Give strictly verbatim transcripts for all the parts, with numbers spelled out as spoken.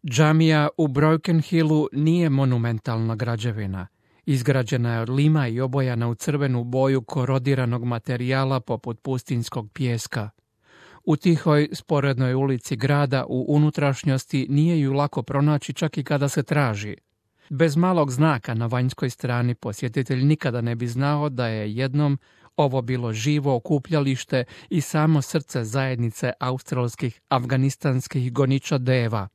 Džamija u Broken Hillu nije monumentalna građevina. Izgrađena je od lima i obojana u crvenu boju korodiranog materijala poput pustinjskog pijeska. U tihoj, sporednoj ulici grada u unutrašnjosti nije ju lako pronaći čak i kada se traži. Bez malog znaka na vanjskoj strani posjetitelj nikada ne bi znao da je jednom ovo bilo živo okupljalište i samo srce zajednice australskih afganistanskih goniča deva.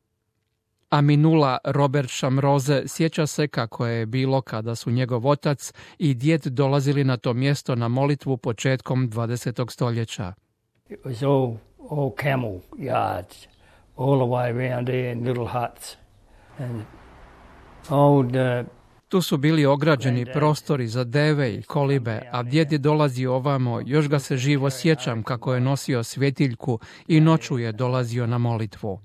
Aminullah Robert Shamroze sjeća se kako je bilo kada su njegov otac i djed dolazili na to mjesto na molitvu početkom dvadesetog stoljeća. It was all, all camel yards, all the way around there in little huts. And old, uh, tu su bili ograđeni prostori za deve i kolibe, a djed je dolazio ovamo, još ga se živo sjećam kako je nosio svjetiljku i noću je dolazio na molitvu.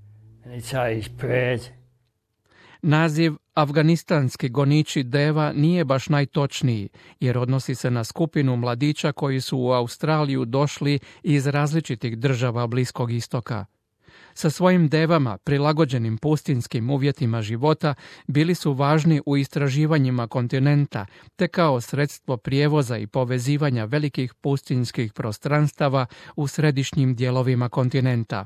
Naziv afganistanski goniči deva nije baš najtočniji, jer odnosi se na skupinu mladića koji su u Australiju došli iz različitih država Bliskog istoka. Sa svojim devama, prilagođenim pustinskim uvjetima života, bili su važni u istraživanjima kontinenta, te kao sredstvo prijevoza i povezivanja velikih pustinskih prostranstava u središnjim dijelovima kontinenta.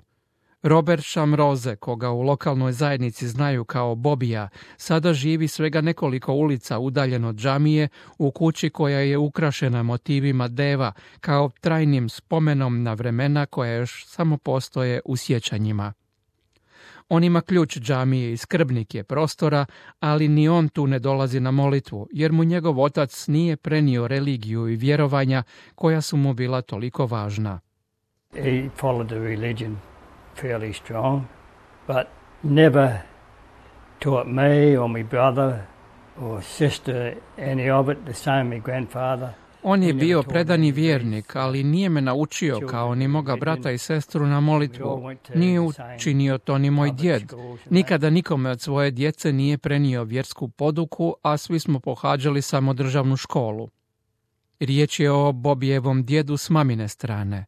Robert Shamroze, koga u lokalnoj zajednici znaju kao Bobija, sada živi svega nekoliko ulica udaljen od džamije u kući koja je ukrašena motivima deva kao trajnim spomenom na vremena koja još samo postoje u sjećanjima. On ima ključ džamije i skrbnik je prostora, ali ni on tu ne dolazi na molitvu, jer mu njegov otac nije prenio religiju i vjerovanja koja su mu bila toliko važna. He followed the religion fairly strong, but never taught me or my brother or sister any of it, the same my grandfather. On je bio predani vjernik, ali nije me naučio kao ni moga brata i sestru na molitvu. Nije učinio to ni moj djed. Nikada nikome od svoje djece nije prenio vjersku poduku, a svi smo pohađali samo državnu školu. Riječ je o Bobijevom djedu s mamine strane.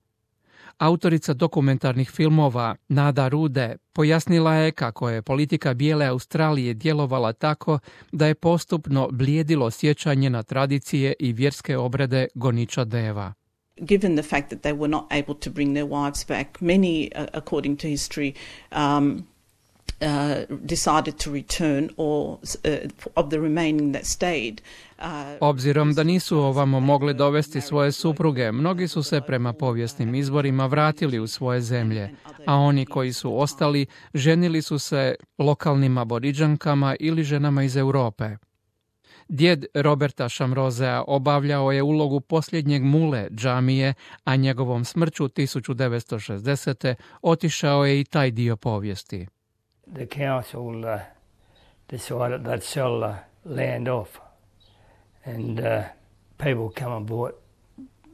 Autorica dokumentarnih filmova Nada Rude pojasnila je kako je politika bijele Australije djelovala tako da je postupno blijedilo sjećanje na tradicije i vjerske obrede goniča deva. Given the fact that they were not able to bring their wives back, many, uh, according to history, um, uh, decided to return or uh, of the remaining that stayed. Obzirom da nisu ovamo mogli dovesti svoje supruge, mnogi su se prema povijesnim izvorima vratili u svoje zemlje, a oni koji su ostali ženili su se lokalnim aboriđankama ili ženama iz Europe. Djed Roberta Shamrozea obavljao je ulogu posljednjeg mule džamije, a njegovom smrću tisuću devetsto šezdesete otišao je i taj dio povijesti. The council uh, decided they'd sell the land off. And uh, people come and bought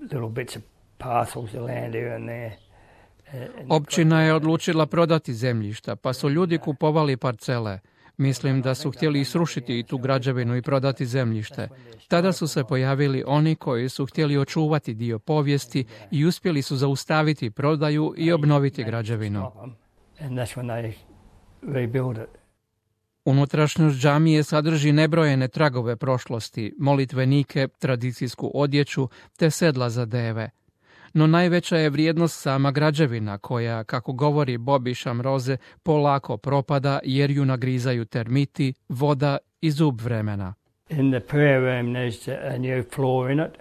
little bits of parcels of land here and there. Općina je odlučila prodati zemljišta, pa su ljudi kupovali parcele. Mislim da su htjeli srušiti i tu građevinu i prodati zemljište. Tada su se pojavili oni koji su htjeli očuvati dio povijesti i uspjeli su zaustaviti prodaju i obnoviti građevinu. And that's when they rebuilt it. Unutrašnjost džamije sadrži nebrojene tragove prošlosti, molitvenike, tradicijsku odjeću te sedla za deve. No najveća je vrijednost sama građevina koja, kako govori Bobby Shamroze, polako propada jer ju nagrizaju termiti, voda i zub vremena. In the prayer room there's a new floor in it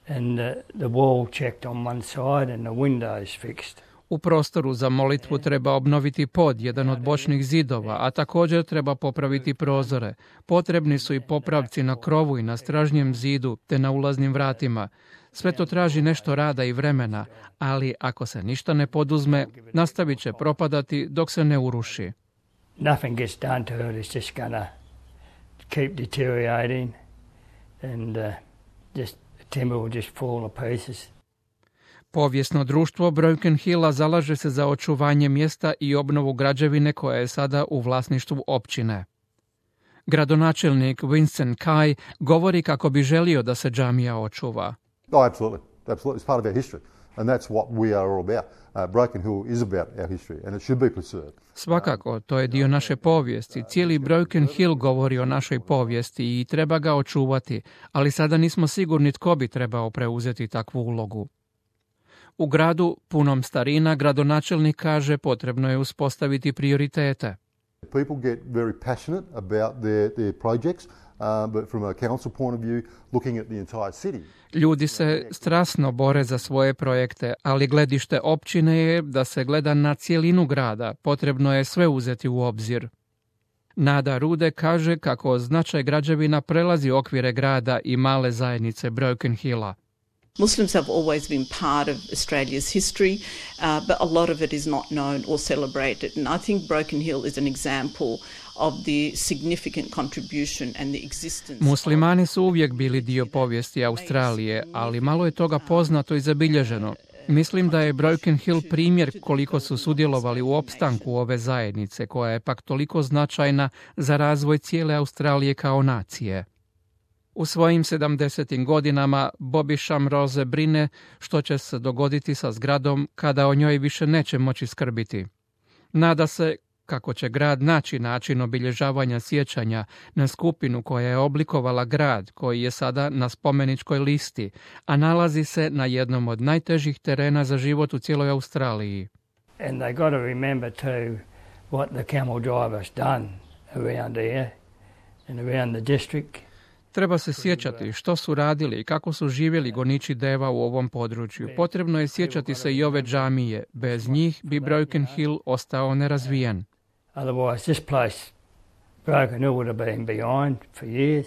and the, the wall checked on one side and the windows fixed. U prostoru za molitvu treba obnoviti pod, jedan od bočnih zidova, a također treba popraviti prozore. Potrebni su i popravci na krovu i na stražnjem zidu, te na ulaznim vratima. Sve to traži nešto rada i vremena, ali ako se ništa ne poduzme, nastavit će propadati dok se ne uruši. Nothing gets done to it, it's just gonna keep deteriorating and uh, just the timber will just fall to pieces. Povijesno društvo Broken Hilla zalaže se za očuvanje mjesta i obnovu građevine koja je sada u vlasništvu općine. Gradonačelnik Winston Kai govori kako bi želio da se džamija očuva. Oh, absolutely. Absolutely. It's part of our history. And that's what we are all about. Uh, Broken Hill is about our history and it should be preserved. Svakako, to je dio naše povijesti. Cijeli Broken Hill govori o našoj povijesti i treba ga očuvati, ali sada nismo sigurni tko bi trebao preuzeti takvu ulogu. U gradu, punom starina, gradonačelnik kaže potrebno je uspostaviti prioritete. People get very passionate about their, their projects, uh, but from a council point of view, looking at the entire city. Ljudi se strasno bore za svoje projekte, ali gledište općine je da se gleda na cijelinu grada. Potrebno je sve uzeti u obzir. Nada Rude kaže kako značaj građevina prelazi okvire grada i male zajednice Broken Hilla. Muslims have always been part of Australia's history, uh, but a lot of it is not known or celebrated. And I think Broken Hill is an example of the significant contribution and the existence. Muslimani su uvijek bili dio povijesti Australije, ali malo je toga poznato i zabilježeno. Mislim da je Broken Hill primjer koliko su sudjelovali u opstanku ove zajednice, koja je pak toliko značajna za razvoj cijele Australije kao nacije. U svojim sedamdesetim godinama Bobby Shamrose brine što će se dogoditi sa zgradom kada o njoj više neće moći skrbiti. Nada se kako će grad naći način obilježavanja sjećanja na skupinu koja je oblikovala grad koji je sada na spomeničkoj listi, a nalazi se na jednom od najtežih terena za život u cijeloj Australiji. And they got to remember too what the camel drivers done around here and around the district. Treba se sjećati što su radili i kako su živjeli goniči deva u ovom području. Potrebno je sjećati se i ove džamije. Bez njih bi Broken Hill ostao nerazvijen. Otherwise this place, Broken Hill would have been behind for years.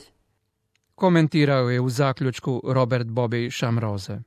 Komentirao je u zaključku Robert Bobby Shamrose.